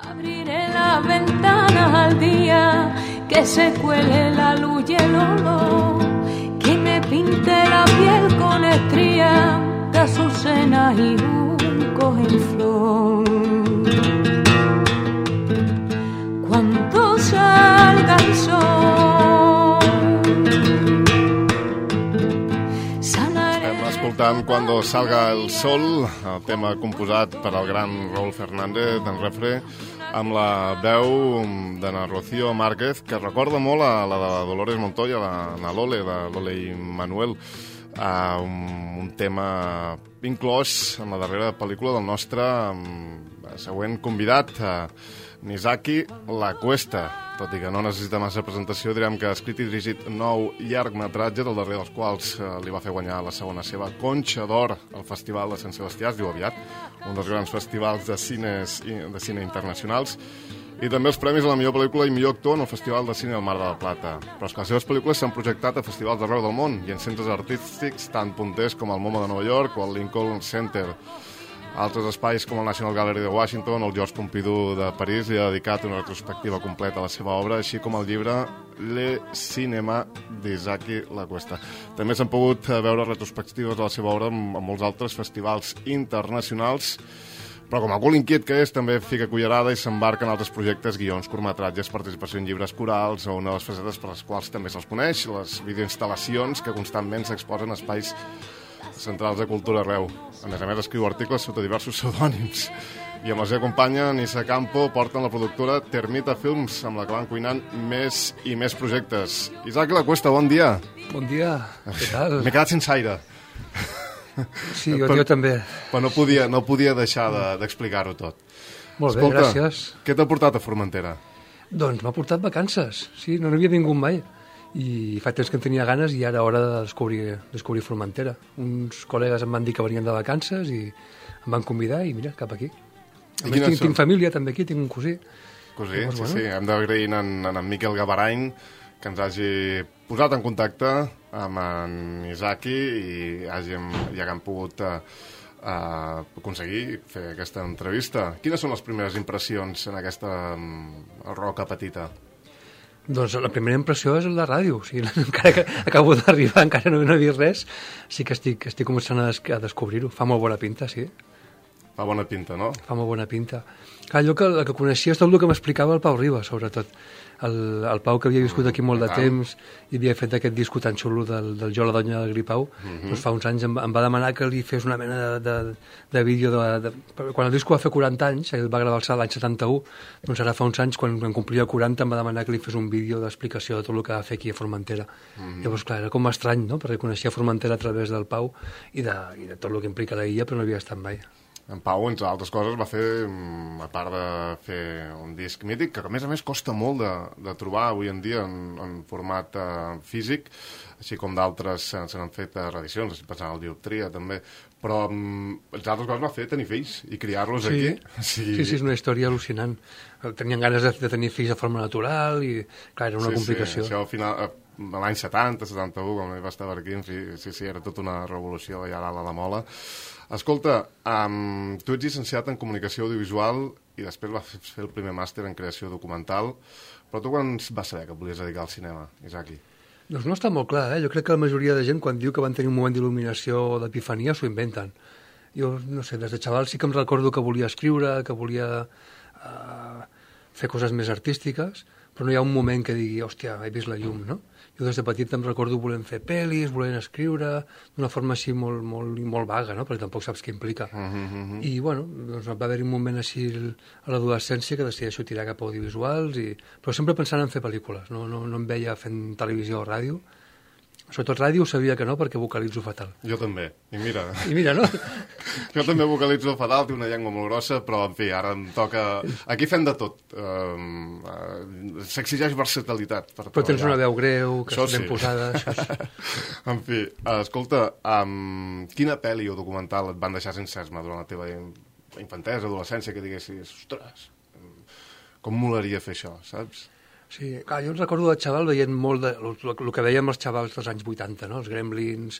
Abriré las ventanas al día, que se cuele la luz y el olor, que me pinte la piel con estrías de azucenas y juncos en flor. Cuando salga el sol, Estem escoltant Cuando salga el sol, el tema composat per el gran Raúl Fernández d'en Refre, amb la veu de na Rocío Márquez, que recorda molt a la de Dolores Montoya, la Lole, de Lole i Manuel, un tema inclòs en la darrera pel·lícula del nostre següent convidat, Nizaki La Cuesta. Tot i que no necessita massa presentació, direm que ha escrit i dirigit 9 llargmetratges, el darrer dels quals li va fer guanyar la segona seva Conxa d'Or al Festival de Sant Sebastià, es diu aviat, un dels grans festivals de cine internacionals, i també els premis a la millor pel·lícula i millor actor en el Festival de Cine del Mar de la Plata. Però és que les seves pel·lícules s'han projectat a festivals d'arreu del món i en centres artístics tan punters com el MoMA de Nova York o el Lincoln Center. Altres espais com el National Gallery de Washington o el Georges Pompidou de París li ha dedicat una retrospectiva completa a la seva obra, així com el llibre Le Cinéma d'Izaki La Cuesta. També s'han pogut veure retrospectives de la seva obra en molts altres festivals internacionals, però com a cul inquiet que és, també fica cullerada i s'embarca en altres projectes, guions, curtmetratges, participació en llibres corals o una de les facetes per les quals també se'ls coneix, les videoinstal·lacions que constantment s'exposen a espais centrals de cultura arreu. A més, escriu articles sota diversos pseudònims. I amb la seva companya, Nissa Campo, porten la productora Termita Films, amb la que van cuinant més i més projectes. Isaac La Cuesta, bon dia. Bon dia, què tal? M'he quedat sense aire. Sí, jo també. Però no podia deixar d'explicar-ho tot. Molt bé, Escolta, gràcies. Què t'ha portat a Formentera? Doncs m'ha portat vacances, sí, no n'havia vingut mai. I fa temps que en tenia ganes i ara hora de descobrir Formentera. Uns col·legues em van dir que venien de vacances i em van convidar i mira, cap aquí. A més, tinc família també aquí, tinc un cosí. Cosí, llavors, sí. Hem d'agrair en Miquel Gavarany que ens hagi posat en contacte amb en Izaki i hàgim pogut aconseguir fer aquesta entrevista. Quines són les primeres impressions en aquesta roca petita? Doncs la primera impressió és la ràdio. O sigui, encara que acabo d'arribar, encara no he vist res, sí que estic començant a descobrir-ho. Fa molt bona pinta, sí. Fa bona pinta, no? Fa molt bona pinta. Clar, allò que coneixia és tot el que m'explicava el Pau Riba, sobretot. El Pau, que havia viscut aquí molt de temps i havia fet aquest disco tan xulo del Jo, la donya del Gripau, doncs fa uns anys em va demanar que li fes una mena de vídeo quan el disco va fer 40 anys, el va gravar l'any 71, doncs ara fa uns anys, quan complia 40, em va demanar que li fes un vídeo d'explicació de tot el que va fer aquí a Formentera. Llavors, clar, era com estrany, no?, perquè coneixia Formentera a través del Pau i de tot el que implica la illa, però no havia estat mai. En Pau, entre altres coses, va fer, a part de fer un disc mític, que a més costa molt de trobar avui en dia en format físic, així com d'altres se n'han fet reedicions, pensant en el Dioptria també, però entre altres coses va fer tenir fills i criar-los aquí. Sí, és una història al·lucinant. Tenien ganes de tenir fills de forma natural i, clar, era una complicació. Sí, això al final, l'any 70, 71, quan va estar per aquí, en fi, sí, era tota una revolució allà a la Mola. Escolta, tu ets llicenciat en comunicació audiovisual i després vas fer el primer màster en creació documental, però tu quan vas saber que et volies dedicar al cinema, Izaki? Doncs no està molt clar, Jo crec que la majoria de gent, quan diu que van tenir un moment d'il·luminació o d'epifania, s'ho inventen. Jo, no sé, des de xaval sí que em recordo que volia escriure, que volia fer coses més artístiques, però no hi ha un moment que digui, hòstia, he vist la llum, no? Jo des de petit em recordo volent fer pel·lis, volent escriure, d'una forma així molt vaga, no?, perquè tampoc saps què implica. I, bueno, doncs va haver-hi un moment així a l'adolescència que decideixo tirar cap a audiovisuals, però sempre pensant en fer pel·lícules, no em veia fent televisió o ràdio. Sobretot ràdio sabia que no, perquè vocalitzo fatal. Jo també, i mira, no? Jo també vocalitzo fatal, té una llengua molt grossa, però, en fi, ara em toca... Aquí fem de tot. S'exigeix versatilitat per treballar. Però tens una veu greu, que és ben posada... En fi, escolta, quina pel·li o documental et van deixar sense esma durant la teva infantesa, adolescència, que diguessis, ostres, com molaria fer això, saps? Sí, clar, jo recordo de xaval veient molt el que veiem els xavals dels anys 80, no? Els Gremlins,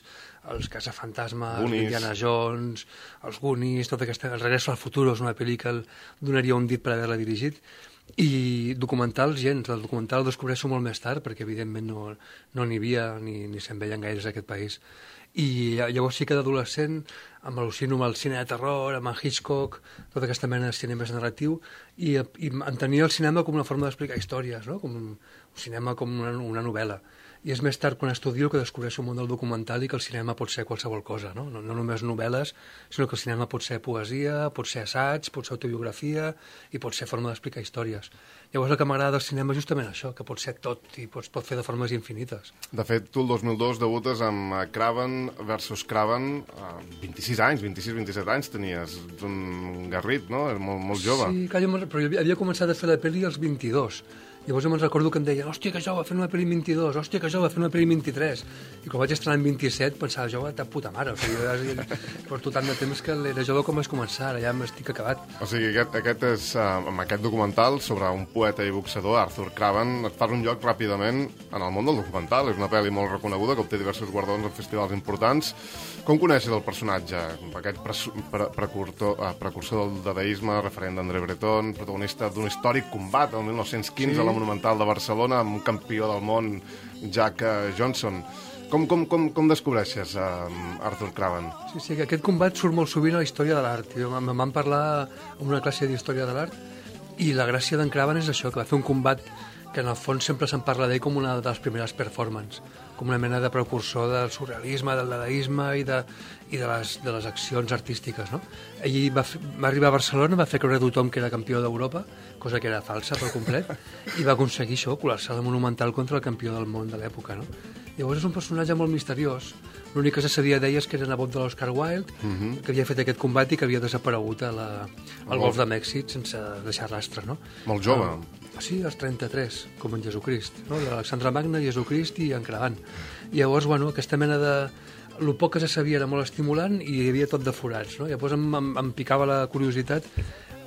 els Caçafantasmes, Indiana Jones, els Goonies, tota aquesta... El Regreso al Futuro és una pel·li que donaria un dit per haver-la dirigit. I documentals, gens. El documental el descobreixo molt més tard, perquè evidentment no n'hi havia ni se'n veien gaires a aquest país. I llavors sí que d'adolescent m'al·lucino amb el cine de terror, amb el Hitchcock, tota aquesta mena de cinema més narratiu, i entenia el cinema com una forma d'explicar històries, no? Com un cinema com una novel·la. I és més tard, quan estudio, que descobreixo el món del documental i que el cinema pot ser qualsevol cosa, no? No només novel·les, sinó que el cinema pot ser poesia, pot ser assaig, pot ser autobiografia i pot ser forma d'explicar històries. Llavors el que m'agrada del cinema és justament això, que pot ser tot i pot fer de formes infinites. De fet, tu el 2002 debutes amb Craven versus Craven, 26 anys, 26-27 anys tenies, ets un garrit, no? És molt jove. Sí, però jo havia començat a fer la pel·li als 22. Llavors me'n recordo que em deien, hòstia, que jove, fent una pel·li 22, hòstia, que jove, fent una pel·li 23. I quan vaig estrenar en 27 pensava, jove, de puta mare. O sigui, jo porto tant de temps que era jove com vaig començar, ara ja m'estic acabat. O sigui, aquest és, amb aquest documental sobre un poeta i boxador, Arthur Craven, et fas un lloc ràpidament en el món del documental. És una pel·li molt reconeguda, que obté diversos guardons en festivals importants. Com coneixes el personatge? Aquest precursor del dadaisme, referent d'André Breton, protagonista d'un històric combat el 1915 a la Monumental de Barcelona amb un campió del món, Jack Johnson. Com descobreixes Arthur Craven? Sí, que aquest combat surt molt sovint a la història de l'art. Em van parlar en una classe d'història de l'art i la gràcia d'en Craven és això, que va fer un combat que en el fons sempre se'n parla d'ell com una de les primeres performances, com una mena de precursor del surrealisme, del dadaisme i de les accions artístiques, no? Ell va arribar a Barcelona, va fer creure a tothom que era campió d'Europa, cosa que era falsa per complet, i va aconseguir això, colar-se a la Monumental contra el campió del món de l'època, no? Llavors és un personatge molt misteriós. L'únic que se sabia d'ell és que era nebot de l'Oscar Wilde, que havia fet aquest combat i que havia desaparegut al Golf de Mèxic sense deixar rastre, no? Molt jove. Sí, als 33, com en Jesucrist, no? L'Alexandre Magne, Jesucrist i en Cravan. I llavors, bueno, aquesta mena de... El poc que se sabia era molt estimulant i hi havia tot de forats, no? Llavors em picava la curiositat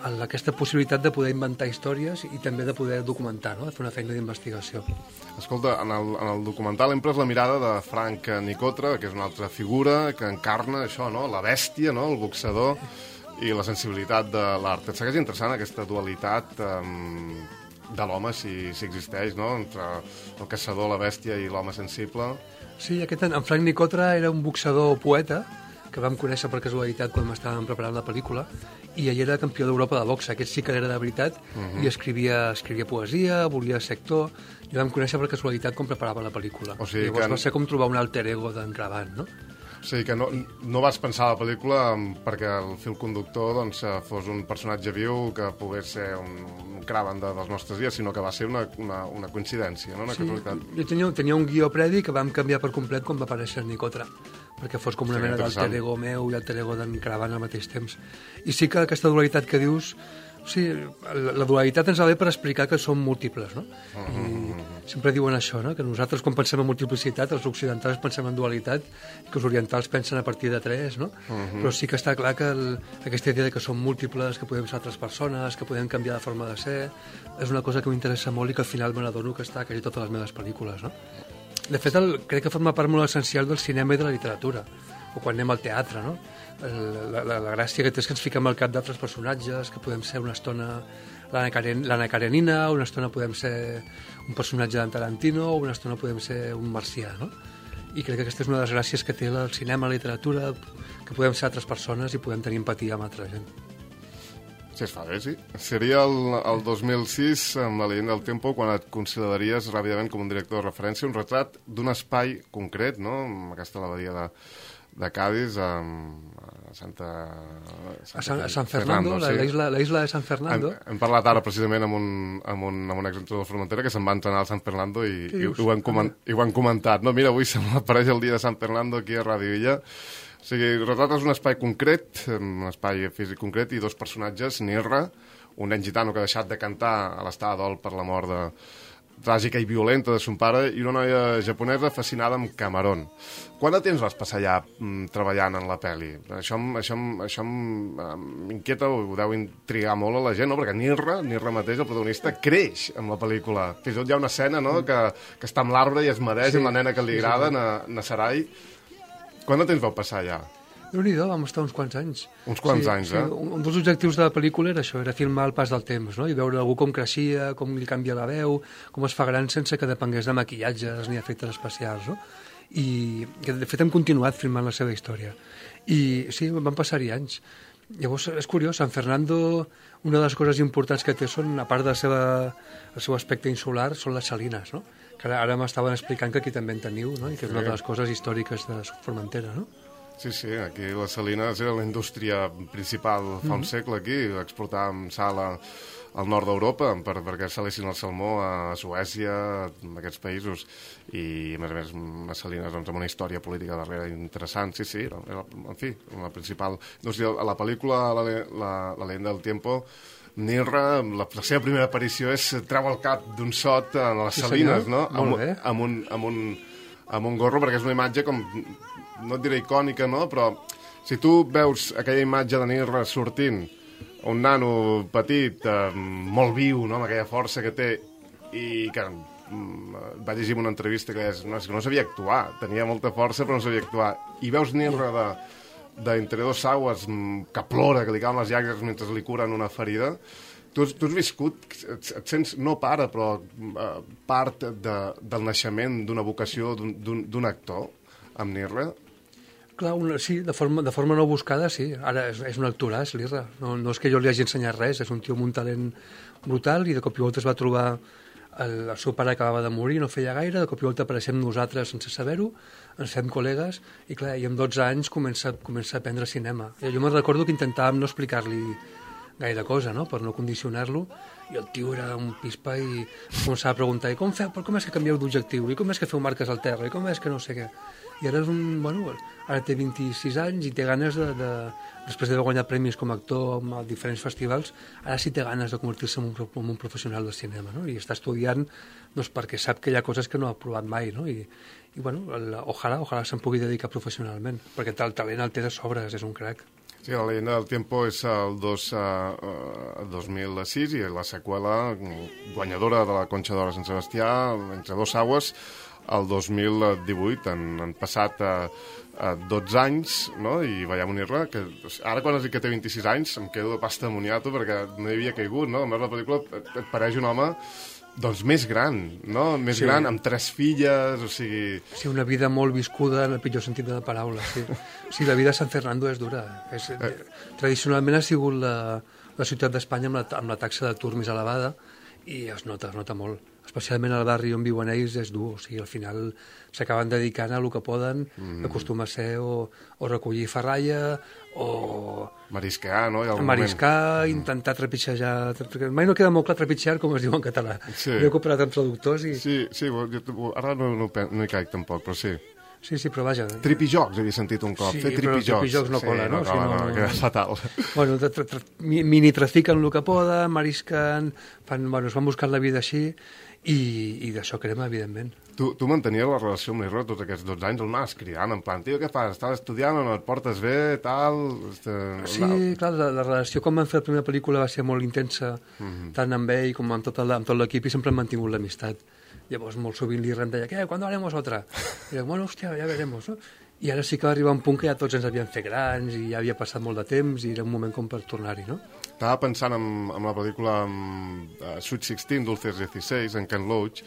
aquesta possibilitat de poder inventar històries i també de poder documentar, no? De fer una feina d'investigació. Escolta, en el documental empres la mirada de Frank Nicotra, que és una altra figura que encarna això, no? La bèstia, no? El boxador i la sensibilitat de l'art. Et segueix interessant aquesta dualitat de l'home, si existeix, no? Entre el caçador, la bèstia i l'home sensible. Sí, en Frank Nicotra era un boxador poeta que vam conèixer per casualitat quan estàvem preparant la pel·lícula, i ell era campió d'Europa de boxa. Aquest sí que era de veritat, i escrivia poesia, volia ser actor, i vam conèixer per casualitat com preparava la pel·lícula. O sigui, llavors va ser com trobar un alter ego d'en Cravan, no? O sigui que no vas pensar a la pel·lícula perquè el fil conductor fos un personatge viu que pogués ser un Cravan dels nostres dies, sinó que va ser una coincidència, no? Una casualitat. Jo tenia un guió previ que vam canviar per complet quan va aparèixer Nicotra, perquè fos com una mena d'alter ego meu i alter ego d'en Cravan al mateix temps. I sí que aquesta dualitat que dius... Sí, la dualitat ens va bé per explicar que som múltiples, no? I sempre diuen això, no? Que nosaltres quan pensem en multiplicitat, els occidentals pensem en dualitat, i que els orientals pensen a partir de 3, no? Però sí que està clar que aquesta idea de que som múltiples, que podem ser altres persones, que podem canviar de forma de ser, és una cosa que m'interessa molt i que al final me n'adono que està a quasi totes les meves pel·lícules, no? De fet, crec que forma part molt essencial del cinema i de la literatura, o quan anem al teatre, no? La gràcia que té és que ens fiquem al cap d'altres personatges, que podem ser una estona l'Anna Karenina, una estona podem ser un personatge d'en Tarantino, o una estona podem ser un marcià, no? I crec que aquesta és una de les gràcies que té el cinema, la literatura, que podem ser altres persones i podem tenir empatia amb altra gent. Sí, es fa bé, sí. Seria el 2006, amb La leyenda del tiempo, quan et consideraries ràpidament com un director de referència, un retrat d'un espai concret, no? Aquesta l'abadia de Cádiz, a San Fernando, sí. La isla de San Fernando. Hem parlat ara precisament amb un exentrenador de Formentera que se'n va entrenar al San Fernando i ho han comentat. No, mira, avui apareix el dia de San Fernando aquí a Ràdio Illa. O sigui, retrates un espai concret, un espai físic concret, i dos personatges, Nirra, un nen gitano que ha deixat de cantar a l'estada dol per la mort tràgica i violenta de son pare i una noia japonesa fascinada amb Cameron. Quant de temps vas passar allà treballant en la pel·li? Això m'inquieta, ho deu intrigar molt a la gent, no? Perquè Nirra mateix, el protagonista, creix amb la pel·lícula. Fins i tot hi ha una escena, no?, que està amb l'arbre i es mereix amb la nena que li agrada, Nasarai. Quant de temps vau passar allà? Déu-n'hi-do, vam estar uns quants anys. Uns quants anys, eh? Un dels objectius de la pel·lícula era això, era filmar el pas del temps, no? I veure algú com creixia, com li canvia la veu, com es fa gran sense que depengués de maquillatges ni efectes especials, no? I de fet hem continuat filmant la seva història. I sí, van passar-hi anys. Llavors, és curiós, San Fernando, una de les coses importants que té són, a part del seu aspecte insular, són les salines, no? Que ara m'estaven explicant que aquí també en teniu, no? I que és una de les coses històriques de Formentera, no? Sí, aquí les salines era la indústria principal fa un segle aquí, exportàvem sal al nord d'Europa perquè salessin el salmó a Suècia, a aquests països, i a més unes salines doncs, amb una història política darrere interessant, sí, era, en fi, la principal indústria. A la pel·lícula La leyenda del tiempo, Nirra, la seva primera aparició és treu el cap d'un sot a les salines, no? Amb un gorro, perquè és una imatge com, no et diré icònica, no? Però si tu veus aquella imatge de Nirra sortint, un nano petit, molt viu, no?, amb aquella força que té, i que va llegir una entrevista que és que no sabia actuar, tenia molta força però no sabia actuar, i veus Nirra d'entre dos aguas que plora, que li cauen les llàgrimes mentre li curen una ferida. Tu has viscut, et sents, no pare, però part del naixement d'una vocació d'un actor amb Nirra? Clar, sí, de forma no buscada, sí. Ara és un actoràs, l'Irra. No és que jo li hagi ensenyat res, és un tio amb un talent brutal i de cop i volta es va trobar el seu pare acabava de morir, no feia gaire, de cop i volta apareixem nosaltres sense saber-ho, ens fem col·legues i clar, i amb 12 anys comença a aprendre cinema. Jo me'n recordo que intentàvem no explicar-li gaire cosa, no?, per no condicionar-lo, i el tio era un pispa i començava a preguntar, i com és que canvieu d'objectiu, i com és que feu marques al terra, i com és que no sé què. I ara ara té 26 anys i té ganes després d'haver guanyat premis com a actor a diferents festivals, ara sí té ganes de convertir-se en un professional del cinema, no? I està estudiant perquè sap que hi ha coses que no ha provat mai, no? I ojalà se'n pugui dedicar professionalment, perquè el talent el té de sobres, és un crac. Sí, La leyenda del tiempo és el 2006 i la seqüela guanyadora de la Conxa d'Or a Sant Sebastià, Entre dos aguas, el 2018. Han passat 12 anys, no?, i veiem un Nirra que ara quan has dit que té 26 anys em quedo de pasta de moniato perquè no hi havia caigut, no? A més, la pel·lícula et pareix un home doncs més gran, no? Més gran, amb 3 filles, o sigui... Sí, una vida molt viscuda en el pitjor sentit de la paraula, sí. Sí, la vida a San Fernando és dura. Tradicionalment ha sigut la ciutat d'Espanya amb la taxa d'atur més elevada i es nota molt. Especialment al barri on viuen ells és dur, o sigui, al final s'acaben dedicant a el que poden, acostuma a ser o recollir ferralla o... Mariscar, no? Mariscar, intentar trepitjar... Mai no queda molt clar trepitjar, com es diu en català. Sí. He cooperat amb traductors i... Sí, ara no hi caic tampoc, però sí. Sí, però vaja... Tripijocs, havia sentit un cop. Sí, fer tripijocs. Però tripijocs no cola, no? No, queda fatal. Bueno, mini-trafiquen el que poden, marisquen, es van buscant la vida així i d'això crema, evidentment. Tu mantenies la relació amb l'Irra tots aquests 12 anys, on anaves cridant, en plan, tio, què fas? Estàs estudiant o no et portes bé, tal... Sí, clar, la relació quan vam fer la primera pel·lícula va ser molt intensa, tant amb ell com amb tot l'equip, i sempre hem mantingut l'amistat. Llavors, molt sovint l'Irra em deia, què, ¿cuándo haremos otra? I dic, bueno, hòstia, ja veremos, no? I ara sí que va arribar un punt que ja tots ens havíem fet grans i ja havia passat molt de temps i era un moment com per tornar-hi, no? Estava pensant en la pel·lícula Sweet 16, Dulces 16, en Ken Loach,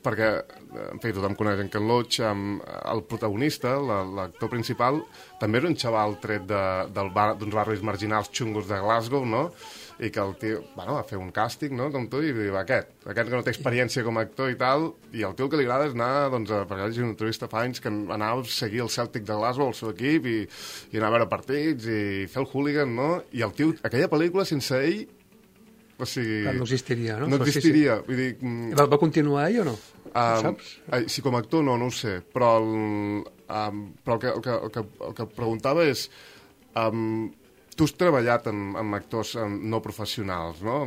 perquè, en fi, tothom coneix en Ken Loach, el protagonista, l'actor principal, també era un xaval tret d'uns barris marginals xungos de Glasgow, no?, i que el tio, va fer un càsting, no?, com tu, i diu, aquest que no té experiència com a actor i tal, i el tio el que li agrada és anar, doncs, perquè vaig una entrevista fa anys, que anava a seguir el Celtic de Glasgow, el seu equip, i anar a veure partits, i fer el hooligan, no?, i el tio, aquella pel·lícula, sense ell, o sigui... No existiria, no? No existiria, vull dir... Va continuar ell o no? Ho saps? Sí, com a actor no ho sé, però el que preguntava és... Tu has treballat amb actors no professionals, no?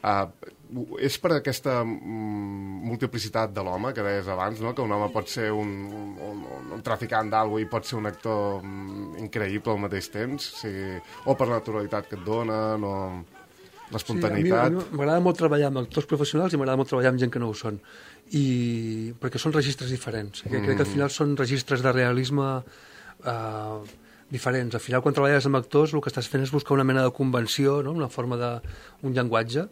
És per aquesta multiplicitat de l'home que deies abans, no? Que un home pot ser un traficant d'algú i pot ser un actor increïble al mateix temps, o per la naturalitat que et donen, o l'espontaneïtat. Sí, m'agrada molt treballar amb actors professionals i m'agrada molt treballar amb gent que no ho són, perquè són registres diferents. Crec que al final són registres de realisme diferents. Al final, quan treballes amb actors, el que estàs fent és buscar una mena de convenció, no? Una forma d'un llenguatge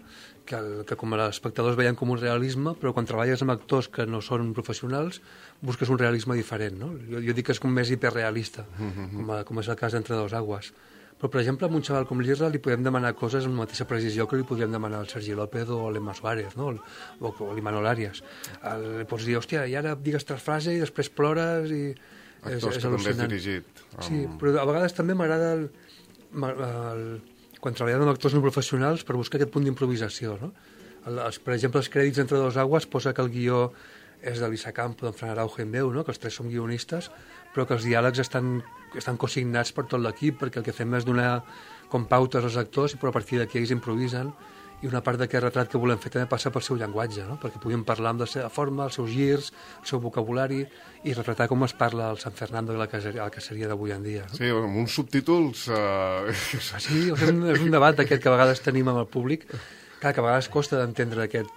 que com a espectadors veiem com un realisme, però quan treballes amb actors que no són professionals, busques un realisme diferent, no? Jo dic que és com més hiperrealista, com és el cas d'Entre dos aguas. Però, per exemple, a un xaval com l'Irra li podem demanar coses amb la mateixa precisió que li podríem demanar al Sergi López o a l'Emma Suárez, no? O l'Imanol Arias. Li pots dir, hòstia, i ara digues tres frases i després plores i... Actors que també has dirigit. Sí, però a vegades també m'agrada quan treballem amb actors no professionals per buscar aquest punt d'improvisació, no? Per exemple, els crèdits Entre dos aguas posa que el guió és de Lisa Campo, d'en Fran Araujo en veu, no? Que els tres som guionistes, però que els diàlegs estan cosignats per tot l'equip, perquè el que fem és donar com pautes als actors, però a partir d'aquí ells improvisen, i una part d'aquest retrat que volem fer també passa pel seu llenguatge, no? Perquè puguin parlar amb la seva forma, els seus girs, el seu vocabulari, i retratar com es parla al San Fernando de la caseria d'avui en dia. No? Sí, amb uns subtítols... Sí, és un debat aquest que a vegades tenim amb el públic, que a vegades costa d'entendre aquest...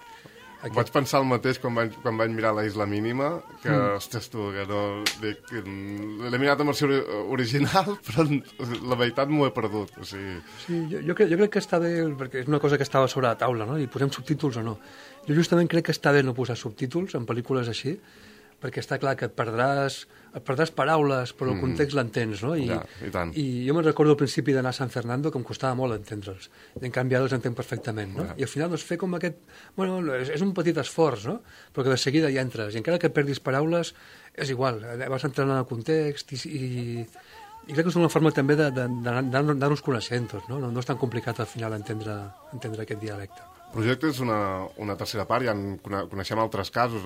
Vaig pensar el mateix quan vaig mirar La Isla Mínima, que, ostres tu, que no... L'he mirat en versió original, però la veritat m'ho he perdut. O sigui... Sí, jo crec que està bé, perquè és una cosa que estava sobre la taula, no? I posem subtítols o no. Jo justament crec que està bé no posar subtítols en pel·lícules així, perquè està clar que et perdràs paraules, però el context l'entens, no? I tant. I jo me'n recordo al principi d'anar a San Fernando que em costava molt entendre'ls, i en canvi ara els entenc perfectament, no? I al final doncs, fer com aquest... Bueno, és un petit esforç, no? Però que de seguida hi entres, i encara que perdis paraules, és igual, vas entrant en el context i crec que és una forma també d'anar-nos coneixent tots, no? No és tan complicat al final entendre aquest dialecte. El projecte és una tercera part, coneixem altres casos,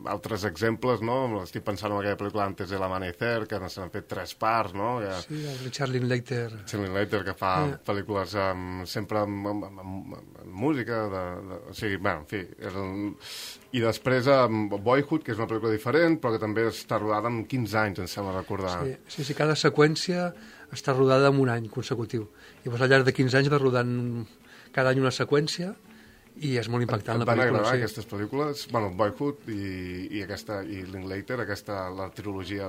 altres exemples, no? Estic pensant en aquella pel·lícula Antes del amanecer, que se n'han fet 3 parts, no? Sí, el Richard Linklater. Que fa pel·lícules sempre amb música, o sigui, bé, en fi... I després Boyhood, que és una pel·lícula diferent, però que també està rodada en 15 anys, em sembla recordar. Sí, cada seqüència està rodada en un any consecutiu. Llavors, al llarg de 15 anys va rodant cada any una seqüència i és molt impactant la pel·lícula. Van agradar aquestes pel·lícules? Bueno, Boyhood i Linklater, la trilogia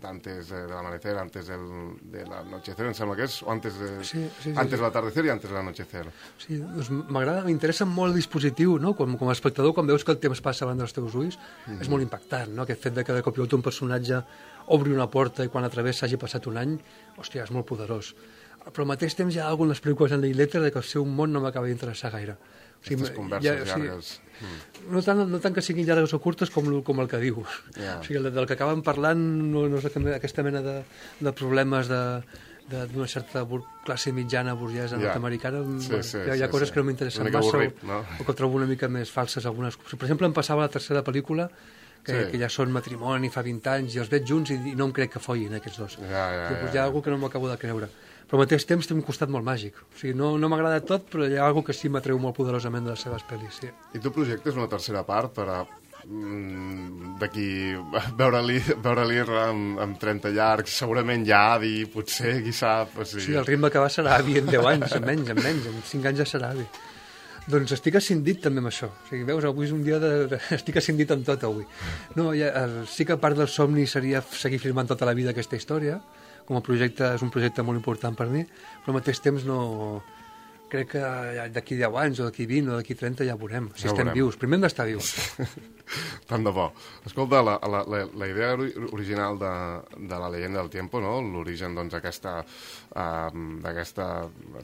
d'Antes de l'amanecer, Antes de l'anochecer, em sembla que és, o Antes de l'atardecer i Antes de l'anochecer. Sí, doncs m'interessa molt el dispositiu, no? Com a espectador, quan veus que el temps passa davant dels teus ulls, és molt impactant, no? Aquest fet de que de cop i volta un personatge obri una porta i quan a través s'hagi passat un any, hòstia, és molt poderós. Però al mateix temps hi ha algunes pel·lícules en Linklater que el seu món no m'acaba d'interessar gaire. O sigui, aquestes converses llargues. No tant que siguin llargues o curtes com el que dius. O sigui, del que acaben parlant no és aquesta mena de problemes d'una certa classe mitjana burgesa nord-americana. Hi ha coses que no m'interessen massa o que trobo una mica més falses algunes. Per exemple, em passava la tercera pel·lícula que ja són matrimoni fa 20 anys i els veig junts i no em crec que follin aquests dos. Hi ha alguna que no m'acabo de creure. Però al mateix temps té un costat molt màgic. O sigui, no m'agrada tot, però hi ha alguna que sí m'atreu molt poderosament de les seves pel·lis. Sí. I tu projectes una tercera part per d'aquí veure-li amb 30 llargs, segurament ja avi, potser, qui sap. O sigui... Sí, el ritme que va serà avi en 10 anys, en menys, en 5 anys ja serà avi. Doncs estic ascendit també amb això. O sigui, veus, avui és un dia estic ascendit amb tot avui. No, sí que part del somni seria seguir filmant tota la vida aquesta història. Com a projecte és un projecte molt important per mi, però al mateix temps no... Crec que d'aquí 10 anys o d'aquí 20 o d'aquí 30 ja veurem, si estem vius. Primer hem d'estar vius. Tant de bo. Escolta, la idea original de La leyenda del tiempo, no? L'origen d'aquesta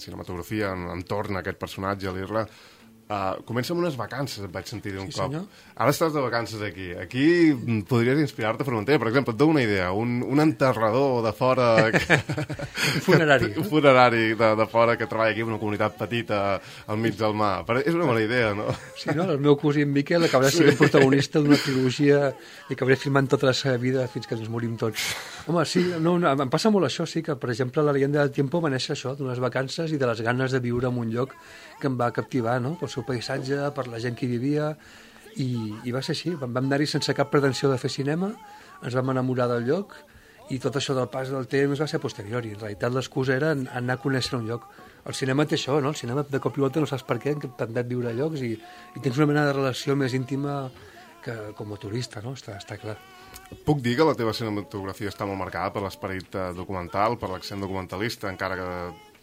cinematografia entorn a aquest personatge, l'Irla, comença amb unes vacances, et vaig sentir dir un cop. Senyor. Ara estàs de vacances aquí. Aquí podries inspirar-te a Formentera. Per exemple, et dono una idea. Un enterrador de fora... Un funerari. Un funerari de fora que treballa aquí en una comunitat petita al mig del mar. És una bona idea, no? Sí, no? El meu cosí en Miquel acabarà sent protagonista d'una trilogia i acabaré filmant tota la seva vida fins que ens morim tots. Home, sí, no, em passa molt això, sí, que, per exemple, la leyenda del tiempo va néixer això, d'unes vacances i de les ganes de viure en un lloc que em va captivar, no?, pel seu paisatge, per la gent que hi vivia, i va ser així. Vam anar-hi sense cap pretensió de fer cinema, ens vam enamorar del lloc, i tot això del pas del temps va ser posteriori. En realitat l'excusa era anar a conèixer un lloc. El cinema té això, no? El cinema de cop i volta no saps per què, t'han de viure a llocs i tens una mena de relació més íntima que com a turista, no? Està clar. Puc dir que la teva cinematografia està molt marcada per l'esperit documental, per l'accent documentalista, encara que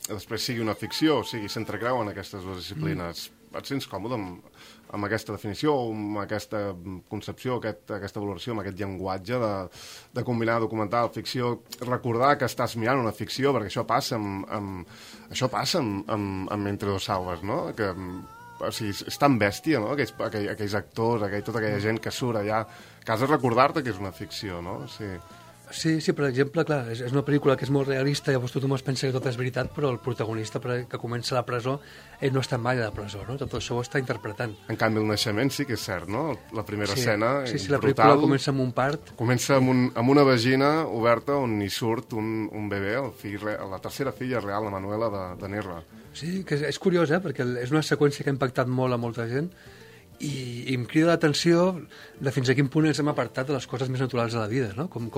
després sigui una ficció, o sigui, s'entrecreuen aquestes dues disciplines. Et sents còmode amb aquesta definició, amb aquesta concepció, aquesta valoració, amb aquest llenguatge de combinar documental, ficció, recordar que estàs mirant una ficció, perquè això passa amb Entre dos salves, no? Que, o sigui, és tan bèstia, no?, aquells actors, tota aquella gent que surt allà, que has de recordar-te que és una ficció, no? Sí, per exemple, clar, és una pel·lícula que és molt realista, llavors tothom es pensa que tot és veritat, però el protagonista que comença a la presó, ell no està mai a la presó, no? Tot això ho està interpretant. En canvi, el naixement sí que és cert, no? La primera escena, sí, la pel·lícula comença amb un part. Comença amb una vagina oberta on hi surt un bebè, la tercera filla real, la Manuela de Nerva. Sí, que és curiós, perquè és una seqüència que ha impactat molt a molta gent, i em crida l'atenció de fins a quin punt ens hem apartat de les coses més naturals de la vida, no? Com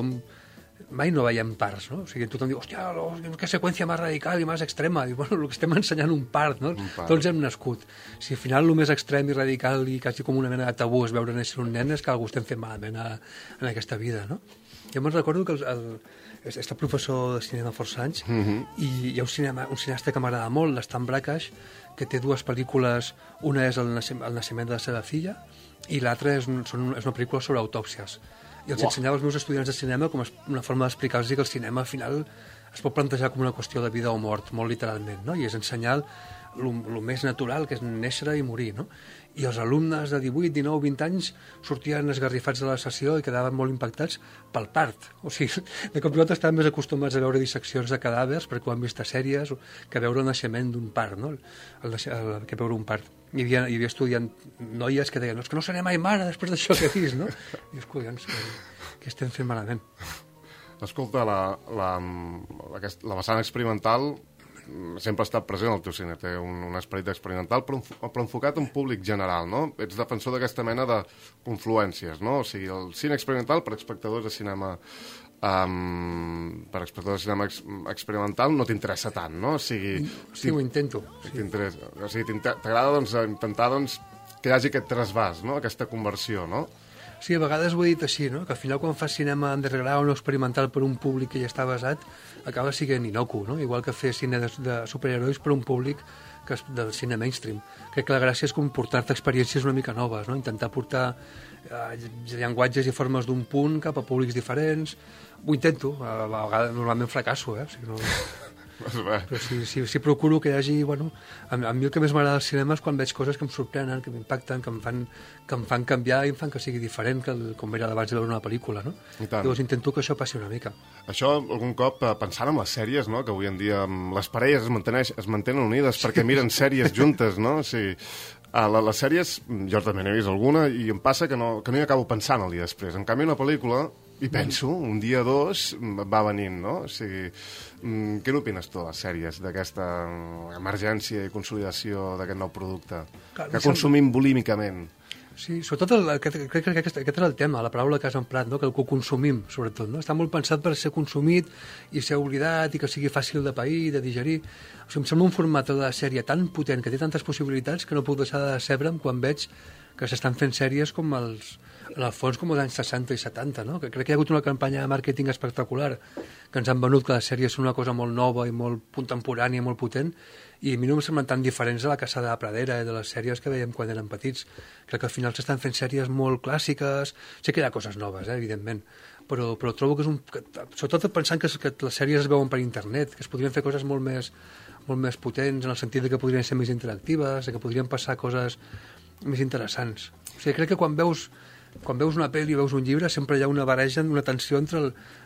mai no veiem parts, no? O sigui, tothom diu, hòstia, que seqüència més radical i més extrema. I, bueno, el que estem ensenyant un part, no? Tots hem nascut. Si al final el més extrem i radical i quasi com una mena de tabú és veure néixer un nen, és que algú estem fent malament en aquesta vida, no? Jo me'n recordo que he estat professor de cinema força anys i hi ha un cineasta que m'agrada molt, l'Stan Brakhage, que té dues pel·lícules, una és el naixement de la seva filla i l'altra és una pel·lícula sobre autòpsies. I els ensenyava als meus estudiants de cinema com una forma d'explicar-los que el cinema al final es pot plantejar com una qüestió de vida o mort, molt literalment, no? I és ensenyar el més natural, que és néixer i morir, no? I els alumnes de 18, 19, 20 anys sortien esgarrifats de la sessió i quedaven molt impactats pel part. O sigui, de cop i volta estaven més acostumats a veure disseccions de cadàvers perquè ho han vist a sèries que veure el naixement d'un part, no? Que veure un part. Hi havia estudiant noies que deien, no, és que no seré mai mare després d'això que he vist, no? I dius, collons, què estem fent malament? Escolta, la vessant experimental sempre ha estat present al teu cine, té un esperit experimental, però enfocat en públic general, no? Ets defensor d'aquesta mena de confluències, no? O sigui, el cine experimental per espectadors de cinema experimental no t'interessa tant, no? O sigui, sí, ho intento. O sigui, t'agrada intentar que hi hagi aquest trasbàs, no? Aquesta conversió, no? Sí, a vegades ho he dit així, no? Que al final quan fas cinema underground o experimental per un públic que ja està basat, acaba sent inocu, no? Igual que fer cine de superherois per un públic del cine mainstream. Crec que la gràcia és portar-te experiències una mica noves, no? Intentar portar llenguatges i formes d'un punt cap a públics diferents. Ho intento, a vegades normalment fracasso, o sigui, no... Però si procuro que hi hagi, bueno, a mi el que més m'agrada del cinema és quan veig coses que em sorprenen, que m'impacten, que em fan canviar i em fan que sigui diferent que com era abans de veure una pel·lícula, no? Llavors intento que això passi una mica. Això algun cop pensant en les sèries, no? Que avui en dia les parelles es mantenen unides perquè miren sèries juntes, no? O sigui, les sèries, jo també n'he vist alguna i em passa que no hi acabo pensant el dia després. En canvi, una pel·lícula i penso, un dia o dos va venint, no? O sigui, què n'opines tu de les sèries, d'aquesta emergència i consolidació d'aquest nou producte que consumim bulímicament? Sí, sobretot crec que aquest era el tema, la paraula que has emprat, no? Que el que consumim, sobretot, no? Està molt pensat per ser consumit i ser oblidat i que sigui fàcil de pair, de digerir. O sigui, em sembla un format de sèrie tan potent, que té tantes possibilitats, que no puc deixar de decebre'm quan veig que s'estan fent sèries com en el fons com els anys 60 i 70, no? Que crec que hi ha hagut una campanya de màrqueting espectacular, que ens han venut que les sèries són una cosa molt nova i molt contemporània, molt potent, i a mi no em semblen tan diferents de la Caçada de Pradera i de les sèries que veiem quan érem petits. Crec que al final s'estan fent sèries molt clàssiques, sé que hi ha coses noves, evidentment, però trobo que és sobretot pensant que les sèries es veuen per internet, que es podrien fer coses molt més molt més potents, en el sentit de que podrien ser més interactives, de que podrien passar coses més interessants. O sigui, crec que quan veus una pel·li o veus un llibre sempre hi ha una barreja, una tensió entre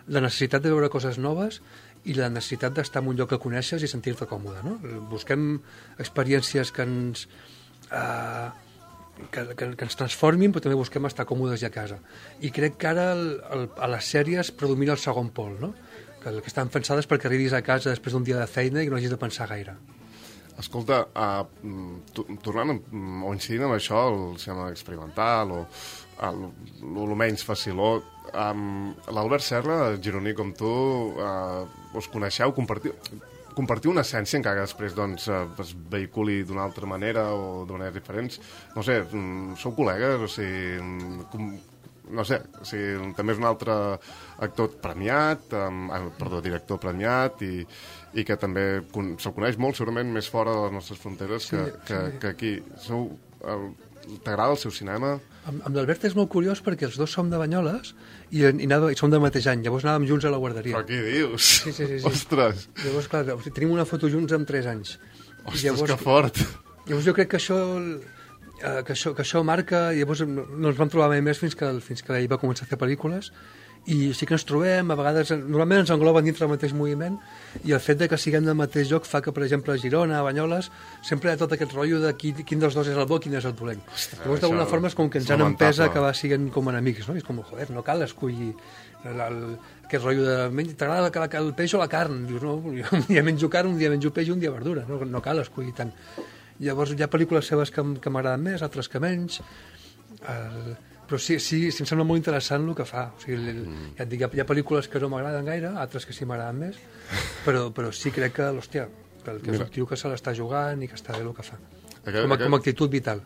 la necessitat de veure coses noves i la necessitat d'estar en un lloc que coneixes i sentir-te còmode, no? Busquem experiències que ens transformin, però també busquem estar còmodes ja a casa. I crec que ara a les sèries predomina el segon pol, no? Que estan pensades perquè arribis a casa després d'un dia de feina i no hagis de pensar gaire. Escolta, tornant o incidint amb això, el cinema experimental o el menys faciló, l'Albert Serra, gironí com tu, us coneixeu, compartiu una essència encara que després doncs, es vehiculi d'una altra manera o de maneres diferents. No sé, sou col·legues, o sigui, no sé, o sigui, també és un altre actor premiat, director premiat i que també se'l coneix molt, segurament més fora de les nostres fronteres que aquí. T'agrada el seu cinema? Amb l'Albert és molt curiós perquè els dos som de Banyoles i som del mateix any, llavors anàvem junts a la guarderia. Però què dius? Sí. Ostres! Llavors, clar, tenim una foto junts amb 3 anys. Ostres, llavors, que fort! Llavors jo crec que això marca... Llavors no ens vam trobar mai més fins que ell va començar a fer pel·lícules i sí que ens trobem, a vegades normalment ens engloben dintre del mateix moviment i el fet de que siguem del mateix lloc fa que, per exemple, a Girona, a Banyoles, sempre hi ha tot aquest rotllo de quin dels dos és el bo i quin és el dolent. Llavors, d'alguna forma, és com que ens han empès a acabar siguent com enemics, no? I és com, joder, no cal escollir aquest rotllo de t'agrada el peix o la carn? Dius, no, un dia menjo carn, un dia menjo peix i un dia verdura, no cal escollir tant. Llavors, hi ha pel·lícules seves que m'agraden més, altres que menys, però sí, em sembla molt interessant el que fa. O sigui, ja et dic, hi ha pel·lícules que no m'agraden gaire, altres que sí m'agraden més, però sí crec que, hòstia, que és un tio que se l'està jugant i que està bé el que fa. Com a actitud vital.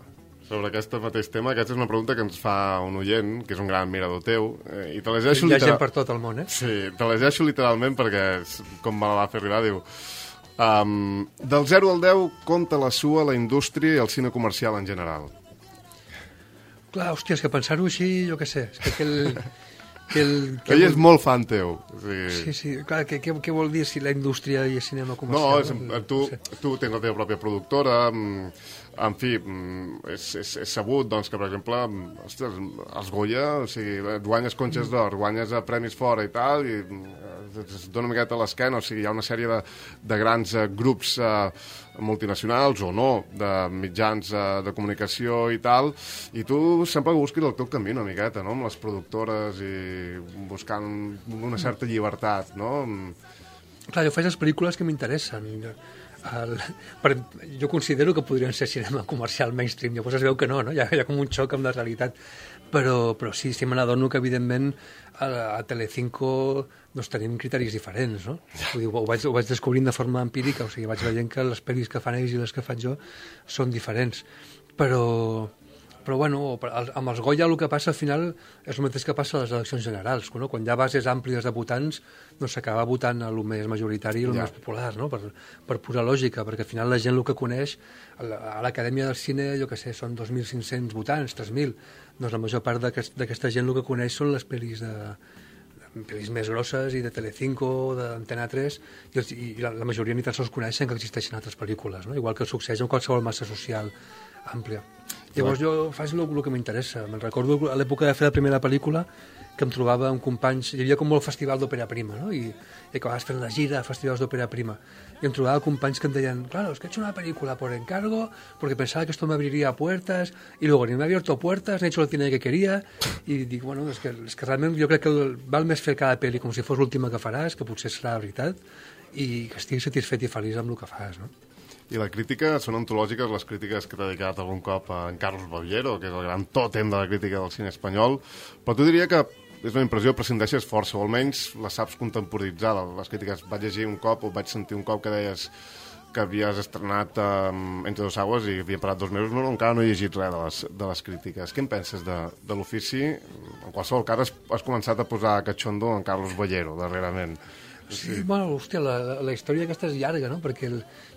Sobre aquest mateix tema, aquesta és una pregunta que ens fa un oient, que és un gran admirador teu, i te llegeixo... Hi ha gent per tot el món, eh? Sí, te llegeixo literalment perquè, com me la va fer arribar, diu... del 0 al 10, compta la sua, la indústria i el cine comercial en general. Clar, hòstia, és que pensar-ho així, jo què sé, és que ell és molt fan teu. Sí, clar, què vol dir si la indústria i el cinema comercial? No, tu tens la teva pròpia productora, en fi, és sabut doncs, que, per exemple, ostres, els Goya, o sigui, guanyes conxes d'or, guanyes premis fora i tal, i es dona una miqueta a l'esquena, o sigui, hi ha una sèrie de grans grups multinacionals o no, de mitjans de comunicació i tal, i tu sempre busquis el teu camí una miqueta, no?, amb les productores i buscant una certa llibertat, no? Clar, jo faig les pel·lícules que m'interessen. Jo considero que podrien ser cinema comercial mainstream, llavors es veu que no? Hi ha com un xoc amb la realitat, però sí me n'adono que evidentment a Telecinco doncs tenim criteris diferents, no? Ho vaig descobrint de forma empírica, o sigui, vaig veient que les pel·lis que fan ells i les que faig jo són diferents, però bueno, amb els Goya el que passa al final és el mateix que passa a les eleccions generals, no? Quan hi ha bases àmplies de votants doncs s'acaba votant el més majoritari i el més popular, no? Per pura lògica, perquè al final la gent el que coneix a l'Acadèmia del Cine, jo què sé, són 2.500 votants, 3.000, doncs la major part d'aquesta gent el que coneix són les pel·lis pel·lis més grosses i de Telecinco, d'Antena 3, i la majoria ni tan sols coneixen que existeixen altres pel·lícules, no? Igual que succeeix en qualsevol massa social àmplia. Llavors jo faig el que m'interessa. Me'n recordo a l'època de fer la primera pel·lícula que em trobava amb companys, hi havia com molt festival d'òpera prima, no? I acabaves fent la gira a festivals d'òpera prima. Y em trobava companys que em deien, claro, es que he hecho una película por encargo, porque pensaba que esto me abriría puertas, y luego ni me ha abierto puertas, ni he hecho el cine que quería, i dic, bueno, és que realment jo crec que val més fer cada pel·li com si fos l'última que faràs, que potser serà la veritat, i que estiguis satisfet i feliç amb el que fas, no? I la crítica, són antològiques les crítiques que t'ha dedicat algun cop a en Carlos Bollero, que és el gran tòtem de la crítica del cine espanyol, però tu diria que és una impressió, prescindeixes força, o almenys la saps contemporitzar, les crítiques. Vaig llegir un cop, o vaig sentir un cop que deies que havies estrenat Entre dos aigües i havia parat 2 mesos, encara no he llegit res de les crítiques. Què en penses de l'ofici? En qualsevol cas, has començat a posar cachondo en Carlos Bollero, darrerament. Sí, bueno, hòstia, la història aquesta és llarga, no? Perquè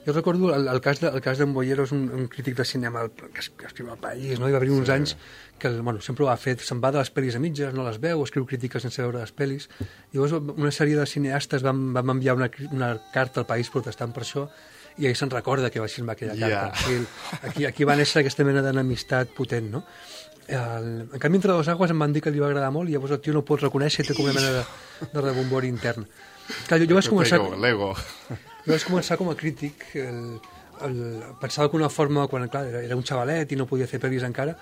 jo recordo el cas d'en Bollero, és un crític de cinema que escriu al País, no? Hi va haver uns anys que sempre ho ha fet, se'n va de les pel·lis a mitges, no les veu, escriu crítiques sense veure les pel·lis. Llavors una sèrie de cineastes vam enviar una carta al País protestant per això, i ell se'n recorda que va firmar aquella carta. Aquí va néixer aquesta mena d'enemistat potent, no? En canvi, Entre dos aigües em van dir que li va agradar molt i llavors el tio no ho pot reconèixer i té com una mena de rebombori intern. Clar, jo vaig començar... L'ego. Jo vaig començar com a crític, pensava que una forma, quan clar, era un xavalet i no podia fer pel·lis encara,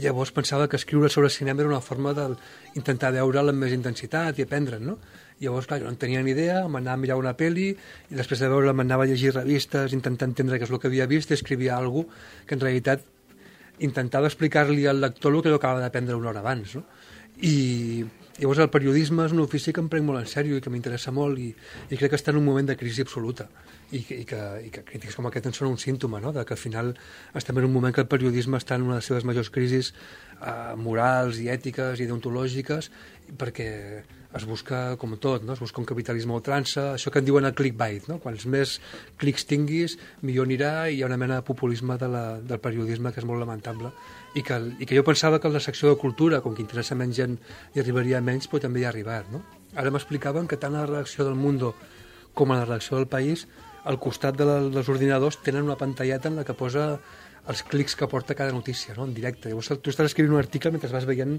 llavors pensava que escriure sobre cinema era una forma d'intentar veure'l amb més intensitat i aprendre'n, no? Llavors, clar, jo no en tenia ni idea, m'anava a mirar una pel·li i després de veure m'anava a llegir revistes, intentar entendre què és el que havia vist i escrivia alguna cosa que en realitat intentava explicar-li al lector el que jo acabava d'aprendre una hora abans, no? I llavors el periodisme és un ofici que em prenc molt en sèrio i que m'interessa molt i crec que està en un moment de crisi absoluta i que crítics com aquest en són un símptoma, no? De que al final estem en un moment que el periodisme està en una de les seves majors crisis morals i ètiques i deontològiques perquè es busca com tot, no? Es busca un capitalisme a ultrança, això que en diuen el clickbait, no? Quants més clics tinguis, millor anirà, i hi ha una mena de populisme del periodisme que és molt lamentable i que jo pensava que la secció de cultura, com que interessa menys gent hi arribaria menys, però també hi ha arribat, no? Ara m'explicaven que tant a la redacció del Mundo com a la redacció del País, al costat dels ordinadors tenen una pantalleta en la que posa els clics que porta cada notícia, no? En directe. Llavors tu estàs escrivint un article mentre vas veient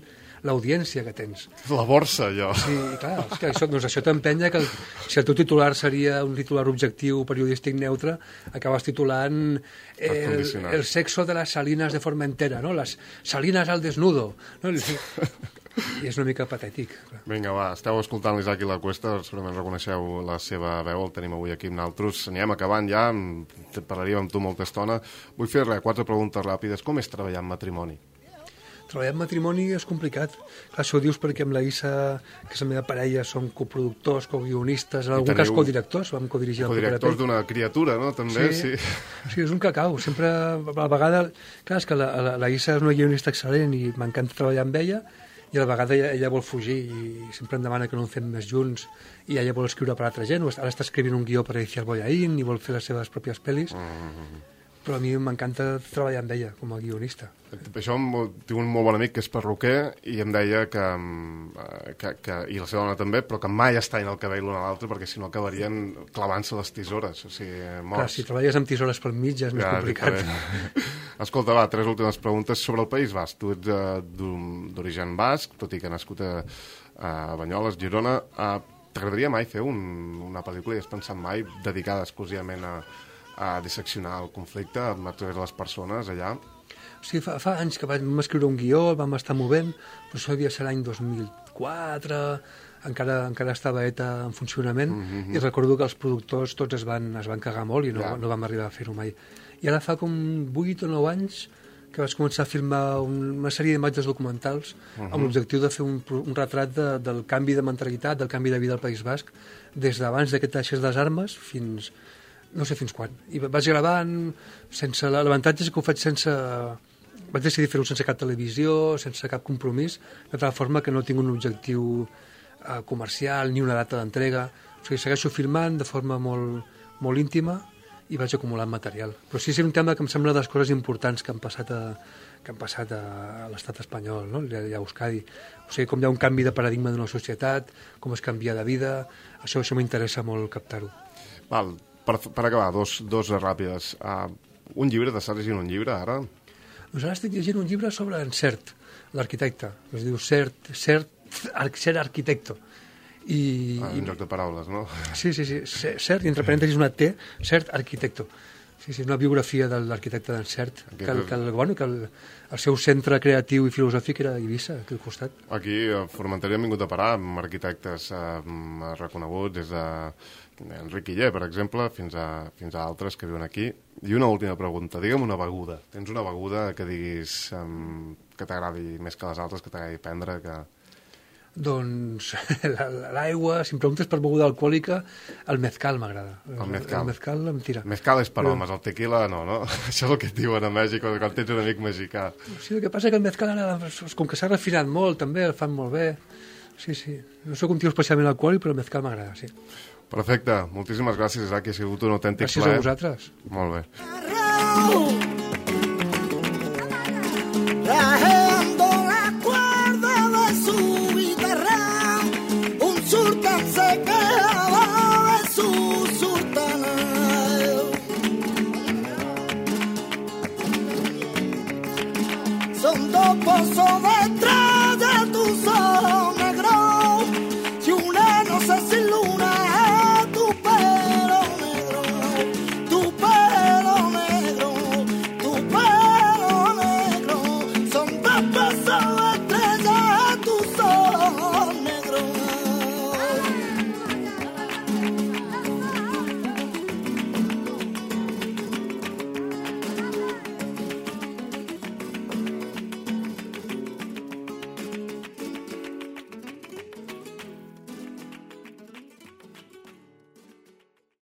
l'audiència que tens. La borsa, allò. Sí, clar, és que això t'empenya que si el teu titular seria un titular objectiu periodístic neutre, acabes titulant el sexo de las salinas de Formentera, no? Les salinas al desnudo, no? I és una mica patètic. Vinga, va, esteu escoltant l'Isaac i la Cuesta, segurament reconeixeu la seva veu, el tenim avui aquí amb naltros. Anirem acabant ja, parlaríem amb tu molta estona. Vull fer 4 preguntes ràpides. Com és treballar en matrimoni? Treballar en matrimoni és complicat. Clar, això ho dius perquè amb la Issa, que és la meva parella, som coproductors, coguionistes, en algun cas codirectors, vam codirigir la propera codirectors d'una criatura, no? També, sí. Sí, és un cacau. Sempre, a la vegada... Clar, és que la Issa és una guionista excel·lent i m'encanta treballar amb ella, i a la vegada ella vol fugir i sempre em demana que no en fem més junts i ella vol escriure per altra gent. Ara està escrivint un guió per Alicia Boyaín i vol fer les seves pròpies pel·lis. Però a mi m'encanta treballar amb ella com a guionista. Això tinc un molt bon amic que és perruquer i em deia que i la seva dona també, però que mai es tallen el cabell l'un a l'altre perquè si no acabarien clavant-se les tisores, o sigui, morts. Clar, si treballes amb tisores pel mig ja és més complicat. Escolta, va, 3 últimes preguntes sobre el País Basc. Tu ets d'origen basc, tot i que nascut a Banyoles, Girona. T'agradaria mai fer una pel·lícula i has pensat mai dedicada exclusivament a disseccionar el conflicte a través de les persones allà? Sí, fa anys que vam escriure un guió, el vam estar movent, però això devia ser l'any 2004, encara estava ETA en funcionament, i recordo que els productors tots es van cagar molt i no vam arribar a fer-ho mai. I ara fa com 8 o 9 anys que vaig començar a filmar una sèrie d'imatges documentals amb l'objectiu de fer un retrat del canvi de mentalitat, del canvi de vida al País Basc, des d'abans que deixés les armes fins... no sé fins quan. I vaig gravant sense... L'avantatge és que ho faig sense... Vaig decidir fer-ho sense cap televisió, sense cap compromís, de tal forma que no tinc un objectiu comercial ni una data d'entrega. O sigui, segueixo filmant de forma molt íntima i vaig acumulant material. Però sí, és un tema que em sembla de les coses importants que han passat a l'estat espanyol, no? I a Euskadi. O sigui, com hi ha un canvi de paradigma d'una societat, com es canvia de vida, això m'interessa molt captar-ho. Val, per acabar, dos ràpides. Un llibre, t'estàs llegint un llibre ara? Doncs ara estic llegint un llibre sobre en Sert, l'arquitecte. Es diu Ser Arquitecto. Un joc de paraules, no? Sí. Sert, i entre parèntesis una T, Sert Arquitecto. Sí, una biografia de l'arquitecte d'en Sert, que el seu centre creatiu i filosòfic era a Eivissa, aquí al costat. Aquí a Formentera hem vingut a parar amb arquitectes reconeguts, des d'Enric Iller, per exemple, fins a altres que viuen aquí. I una última pregunta, digue'm una beguda. Tens una beguda que diguis que t'agradi més que les altres, que t'agradi prendre, que... Doncs l'aigua, si em preguntes per beguda alcohòlica, el mezcal m'agrada. El mezcal? El mezcal em tira. Mezcal és per homes, el tequila no? Això és el que et diuen a Mèxic quan tens un amic mexicà. Sí, el que passa és que el mezcal ara, com que s'ha refinat molt, també el fan molt bé. Sí. No soc un tio especialment alcohòlic, però el mezcal m'agrada, sí. Perfecte, moltíssimes gràcies, Isaac, ha sigut un autèntic plaer. Gràcies a vosaltres. Molt bé. Sultán se quedaba de su sultana. son dos pozos de